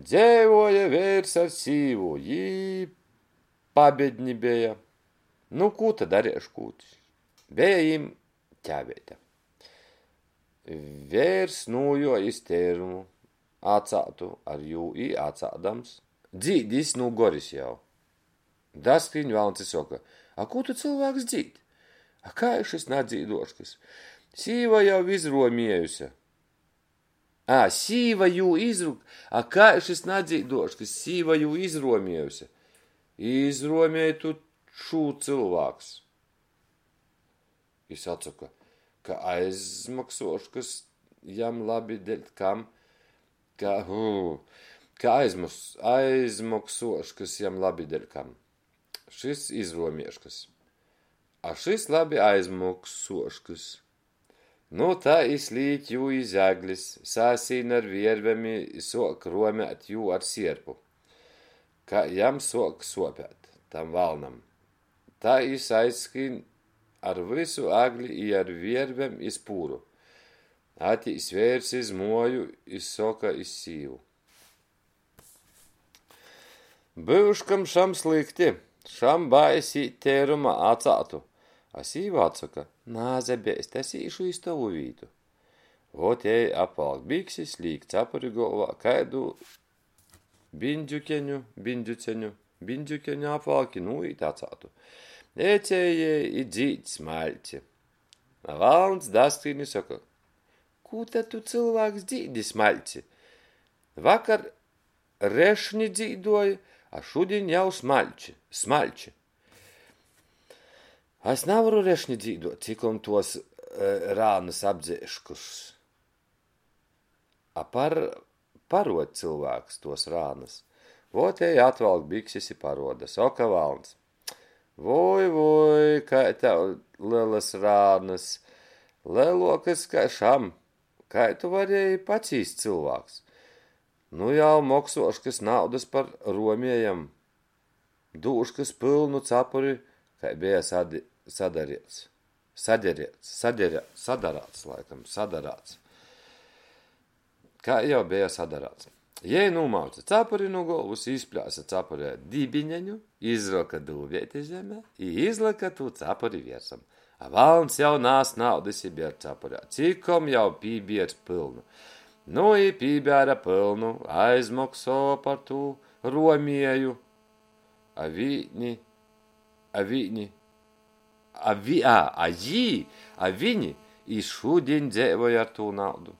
Dzeivuoja veirs ar sīvu, jī pabedni beja. Nu, kū ta dareiškūt? Beja jim ķāveite. Veirs nūjuoja iz teirumu, acātu ar jū i acādams. Dzīd jis nu goris jau. Daskrīņ valns i soka, A kū tu, cylvāks, dzīd? A kai šys nadzīduoškys? Sīva jau izruomiejuse. Ā, sīva jū izru... A kai šys nadzīduoškys? Sīva jū izruomiejuse. Izruomiej tu šū, cylvāks. Jis atsoka, ka aizmoksuoškys jam labi deļ kam, ka, ka aizmos, aizmoksuoškys jam labi deļ kam. Šys izruomieškys. A šys labi aizmoksuoškys. Nu, tai i slīk jū iz eglis, sasīn ar viervem i suok ruomēt jū ar sierpu. Ka jam suok suopēt, tam valnam. Tai jis aizskrīn ar vysu egli i ar viervem iz pūru. Atīs veirs iz muoju i soka iz sīvu. Byuškam šam slykti, šam bais īt teirumā acātu. A sīva atsoka, Nasabeist, es īšu iz tovu vītu. Vot jei apvalk biksis, līk capuri golvā, kaidu biņdzjukeņu, biņdzjuceņu, biņdzjukeņu apvalk i nūīt acātu. Ecej jei i dzīd smaļci. A valns daskrīn i soka, Kū ta tu, cylvāks, dzīdi smaļci? Vakar rešni dzīduoji, a šudiņ jau smaļči, smaļči. Es navaru rešni dzīduot, cikom tuos rānys apdzeiškys. A par, paruod, cylvāks, tuos rānys. Vot jei atvalk biksis i paruoda. Soka valns. Voi, voi, kai tev lelys rānys, leluokys kai šam. Kai tu varieji pacīst, cylvāks? Nu jau moksuoškys naudys par ruomiejam. Dūškys pylnu capuri, kai beja sadi, sadariets. Saderiets, saderē, sadarāts, laikam, sadarāts. Kai jau beja sadarāts. Jei nūmauce capuri nu golvys, izplēse capurē dibineņu, izroka dūbeiti zemē i izlyka tū capuri viersam. A valns jau nas naudys i bier capurē, cikom jau pībiers pylnu. Nu i pībēra pylnu, aizmoksova par tū ruomieju. A vīni, a vīni, a, vi, a, a jī, a viņi i šudiņ dzeivoj ar tū naudu.